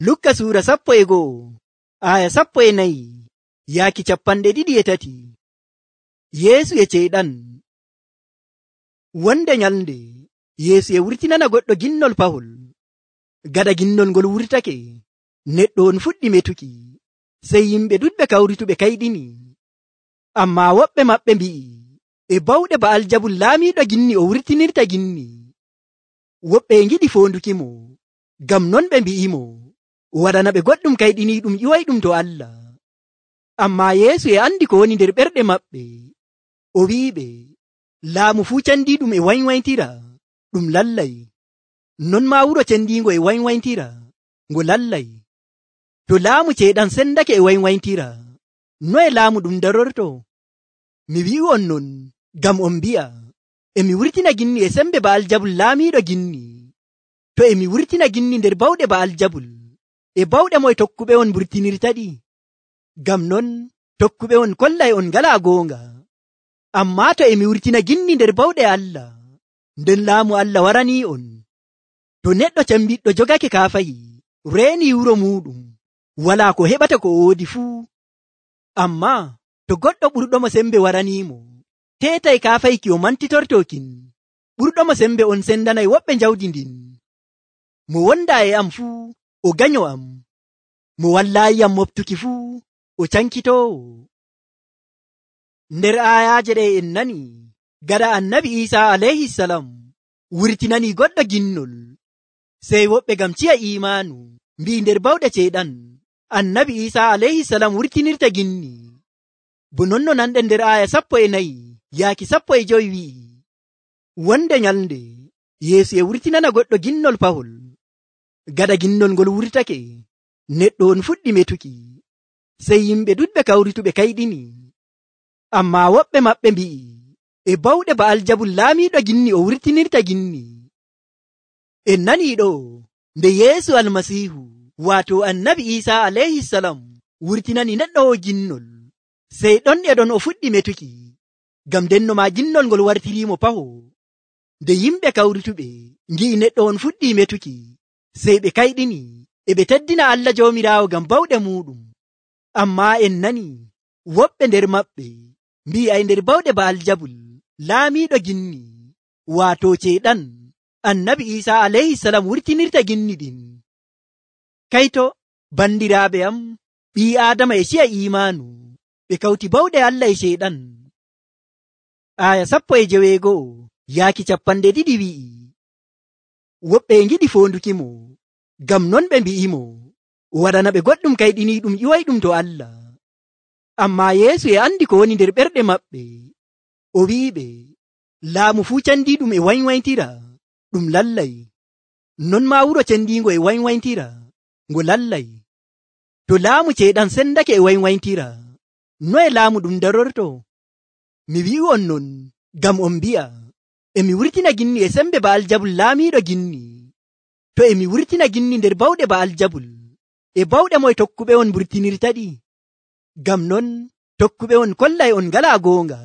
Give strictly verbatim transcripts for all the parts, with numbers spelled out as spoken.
Lukka suura sappo e go'o aya sappo e nayi yaaki capanɗe ɗiɗi e tati. Yeesu e ceyɗan. Wonde nyalnde Yeesu e wurtinana goɗɗo ginnol pahol. Gaɗa ginnol ngol wurtake, neɗɗo on fuɗɗi metuki, sey yimɓe ɗuɗɓe kawrituɓe kayɗini. Ammaa woɓɓe maɓɓe mbi'i, e bawɗe Ba'aljabul laamiiɗo ginni o wurtinirta ginni. Woɓɓe e ngiɗi foondukimo, ngam non ɓe mbi'imo, waɗana ɓe goɗɗum kayɗiniiɗum ƴiwayɗum to Allah. Ammaa Yeesu e andi ko woni nder ɓerɗe maɓɓe. O wi'iɓe, laamu fuu cendiiɗum e waywaytira, ɗum lallay. Non maa wuro cendiingo e waywaytira, ngo lallay. To laamu ceyɗan sendake e waywaytira, noye laamu ɗum darorto? Mi wi'u'on non, ngam on mbi'a, emi wurtina ginni e sembe Ba'aljabul laamiiɗo ginni. To emi wurtina ginni nder bawɗe Ba'aljabul, e bawɗe moye tokkuɓe on mburtinirtaɗi? Ngam non tokkuɓe on kollay on ngalaa goonga. Ammaa to emi wurtina ginni nder bawɗe Allah, nden laamu Allah waranii on. To neɗɗo cembiɗɗo jogake kaafayi, reeni wuro muɗum, walaa ko heɓata ko o woodi fuu. Ammaa to goɗɗo ɓurɗomo sembe waraniimo, teetay kaafayki o mantitortokin, ɓurɗomo sembe on sendanay woɓɓe jawdi ndin. Mo wondaa e am fuu, o ganyo am. Mo wallaayiyam moftuki fuu, o cankitoowo. Nder aayaaje ɗe en nani, gaɗa annabi Iisaa alayhisalam wurtinani goɗɗo ginnol, sey woɓɓe ngam ciya iimaanu mbi'i nder bawɗe ceyɗan annabi Iisaa alayhisalam wurtinirta ginni. Bo non no nanɗen nder aaya sappo e nayi yaaki sappo e joyi wi'i, wonde nyalnde Yeesu e wurtinana goɗɗo ginnol pahol. Gaɗa ginnol ngol wurtake, neɗɗo on fuɗɗi metuki, sey yimɓe ɗuɗɓe kawrituɓe kayɗini. Ammaa woɓɓe maɓɓe mbi'i, e bawɗe Ba'aljabul laamiiɗo ginni o wurtinirta ginni. En nanii ɗo nde Yeesu Almasiihu waato annabi Iisaa alayhisalam wurtinani neɗɗo o ginnol, sey ɗon e ɗon o fuɗɗi metuki, ngam ndenno maa ginnol ngol wartiriimo paho. Nde yimɓe kawrituɓe ngi'i neɗɗo on fuɗɗi metuki, sey ɓe kayɗini, e ɓe teddina Allah Joomiraawo ngam bawɗe muuɗum. Ammaa en nani woɓɓe nder maɓɓe mbi'i ay nder bawɗe Ba'aljabul laamiiɗo ginni, waato ceyɗan annabi Iisaa alayhisalam wurtinirta ginni ɗin. Kayto bandiraaɓe am, ɓii Aadama e ciya iimaanu, ɓe kawti bawɗe Allah e ceyɗan. Aaya sappo e joweego'o yaaki capanɗe ɗiɗi wi'i, woɓɓe e ngiɗi foondukimo, ngam non ɓe mbi'imo, waɗana ɓe goɗɗum kayɗiniiɗum ƴiwayɗum to Allah. Ammaa Yeesu e andi ko woni nder ɓerɗe maɓɓe. O wi'iɓe, laamu fuu cendiiɗum e waywaytira, ɗum lallay. Non maa wuro cendiingo e waywaytira, ngo lallay. To laamu ceyɗan sendake e waywaytira, noye laamu ɗum darorto? Mi wi'u'on non, ngam on mbi'a, emi wurtina ginni e sembe Ba'aljabul laamiiɗo ginni. To emi wurtina ginni nder bawɗe Ba'aljabul, e bawɗe moye tokkuɓe on mburtinirtaɗi? Ngam non tokkuɓe on kollay on ngalaa goonga.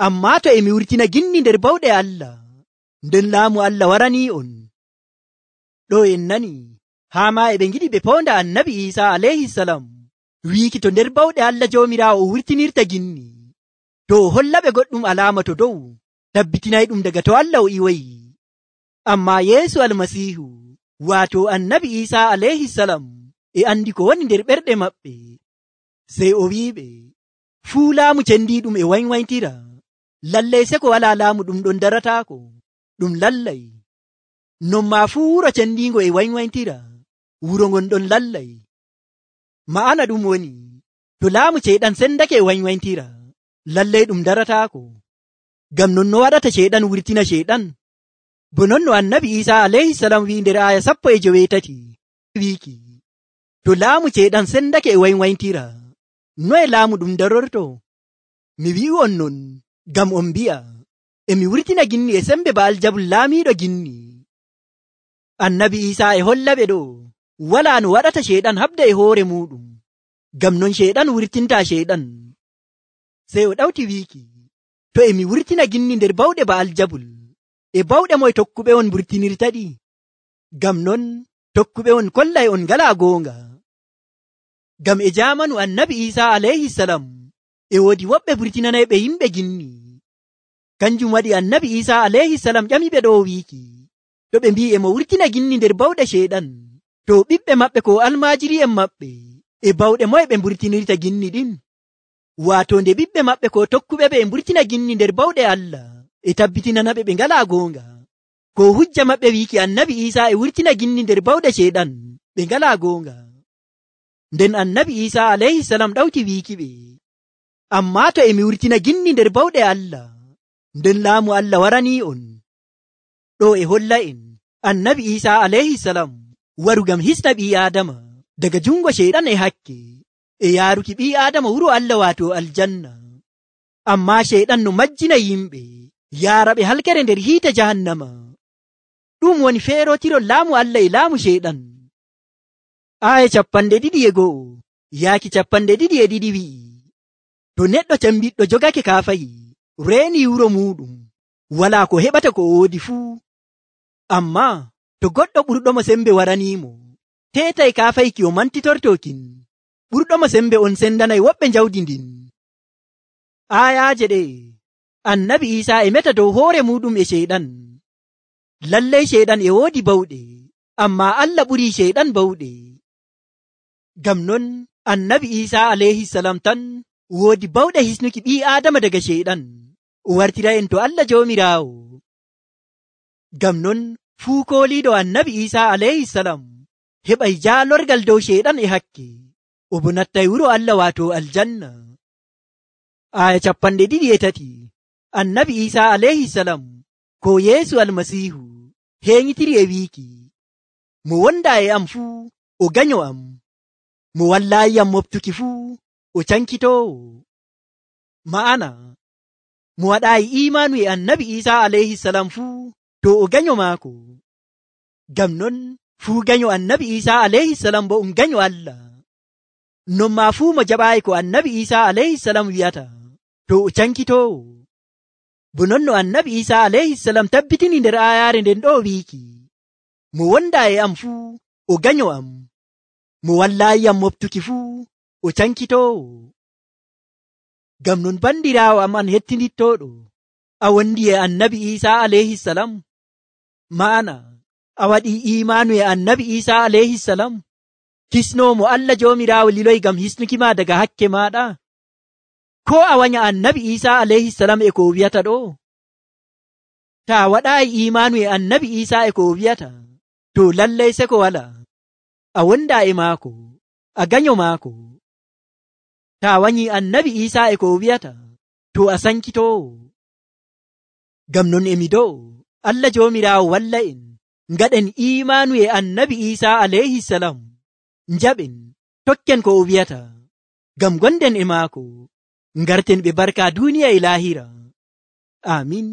Ammaa to emi wurtina ginni nder bawɗe Allah, nden laamu Allah waranii on. Ɗo en nani, haa maa e ɓe ngiɗi ɓe poonda annabi Iisaa alayhisalam wiiki to nder bawɗe Allah Joomiraawo o wurtinirta ginni, to o hollaɓe goɗɗum alaama to dow, tabbitinayɗum daga to Allah o iwayi. Ammaa Yeesu Almasiihu waato annabi Iisaa alayhisalam e andi ko woni nder ɓerɗe maɓɓe, sey o wi'iɓe, fuu laamu cendiiɗum e waywaytira, lallay seko walaa laamu ɗum ɗon darataako, ɗum lallay. Non maa fuu wuro cendiingo e waywaytira, wuro ngon ɗon lallay. Ma'ana ɗum woni, to laamu ceyɗan sendake e waywaytira, lallay ɗum darataako. Ngam non no waɗata ceyɗan wurtina ceyɗan? Bo non no annabi Iisaa alayhisalam wi'i nder aaya sappo e joweetati wiiki, to laamu ceyɗan sendake e waywaytira, noye laamu ɗum darorto? Mi wi'u'on non, ngam on mbi'a, emi wurtina ginni e sembe Ba'aljabul laamiiɗo ginni. Annabi Iisaa e hollaɓe ɗo, walaa no waɗata ceyɗan habda e hoore muɗum, ngam non ceyɗan wurtinta ceyɗan. Sey o ɗawti wiiki, to emi wurtina ginni nder bawɗe Ba'aljabul, e bawɗe moye tokkuɓe on mburtinirtaɗi? Ngam non tokkuɓe on kollay on ngala goonga. Ngam e jamanu annabi Isa alayhi salam e woodi woɓɓe burtinanayɓe yimɓe ginni. Kanjum waɗi annabi Isa alayhi salam ƴamiɓe ɗo wiiki to ɓe mbi e mo wurtina ginni nder bawɗe sheyɗan, to ɓiɓɓe maɓɓe ko almaajiri'en maɓɓe e bawɗe moye ɓe mburtinirta ginni ɗin. Waato nde ɓiɓɓe maɓɓe ko tokkuɓe ɓe e mburtina ginni nder bawɗe Allah e tabbitinanaɓe ɓe ngala goonga. Ko hujja maɓɓe wiiki annabi Isa e wurtina ginni nder bawɗe sheyɗan, ɓe ngala goonga. Nden annabi Isa alayhi salam ɗawti wiiki ɓe, ammaa to emi wurtina ginni nder bawɗe Allah, nden laamu Allah waranii on. Ɗo e holla en annabi Isa alayhi salam waru ngam hisna ɓii Aadama daga jungo sheyɗan e hakke e yaaruki ɓii Aadama wuro Allah waato aljanna. Ammaa sheyɗan no majjina yimɓe yaara ɓe halkere nder hiite jahannama. Ɗum woni feerotirol laamu Allah e laamu sheyɗan. Aya capanɗe ɗiɗi e go'o yaaki capanɗe ɗiɗi e ɗiɗi wi'i, to neɗɗo cambiɗɗo jogake kaafayi reeni wuro muɗum, walaa ko heɓata ko woodi fuu. Ammaa to goɗɗo ɓurɗomo sembe waraniimo, teetay kaafayki o mantitortokin, ɓurɗomo sembe on sendanay woɓɓe jawdi ndin. Ayaaje ɗe annabi Isa e meta dow hoore muɗum e sheyɗan. Lallay sheyɗan e woodi bawɗe, ammaa Allah ɓurii sheyɗan bawɗe. Ngam non annabi Isa alayhi salam tan woodi bawɗe hisnuki ɓii Aadama daga sheyɗan, o wartira en to Allah Joomiraawo. Ngam non fuu kooliiɗo annabi Isa alayhi salam heɓay jaalorgal dow sheyɗan e hakke, o bo nattay wuro Allah waato aljanna. Aya capanɗe ɗiɗi e tati annabi Isa alayhi salam ko Yeesu almasiihu heeŋitiri e wiiki, mo wonda e am fuu o ganyo am, mo wallaayiyam moftuki fuu o cankitoowo. Ma'ana mo waɗaayi imaanu e annabi Isa alayhi salam fuu to o ganyo maako. Ngam non fuu ganyo annabi Isa alayhi salam bo um ganyo Allah. Non maa fuu mo jaɓaayi ko annabi Isa alayhi salam wi'ata to o cankitoowo. Bo non no annabi Isa alayhi salam tabbitini nder ayaare nden ɗo wiiki, mo wonda e am fuu o ganyo am, mo wallaayiyam moftuki fuu o cankitoowo. Ngam non bandiraawo am an hettinittooɗo, a wondi e annabi Isa alayhi salam? Ma'ana a waɗii imaanu e annabi Isa alayhi salam, kisnoomo Allah Joomiraawo liloy ngam hisnuki ma daga hakke maaɗa? Ko a wanya annabi Isa alayhi salam e ko wiyata ɗo? Ta a waɗaayi imaanu e annabi Isa e ko wiyata, to lallay seko wala. A wonda e maako, a ganyo maako. Ta a wanyi annabi Isa e ko wiyata, to a sankitoowo. Ngam non emi dow Allah Joomiraawo walla en ngaɗen imaanu e annabi Isa alayhi salam, njaɓen tokken ko o wiyata, ngam gonden e maako, ngarten ɓe barka duniya e lahira. Amin.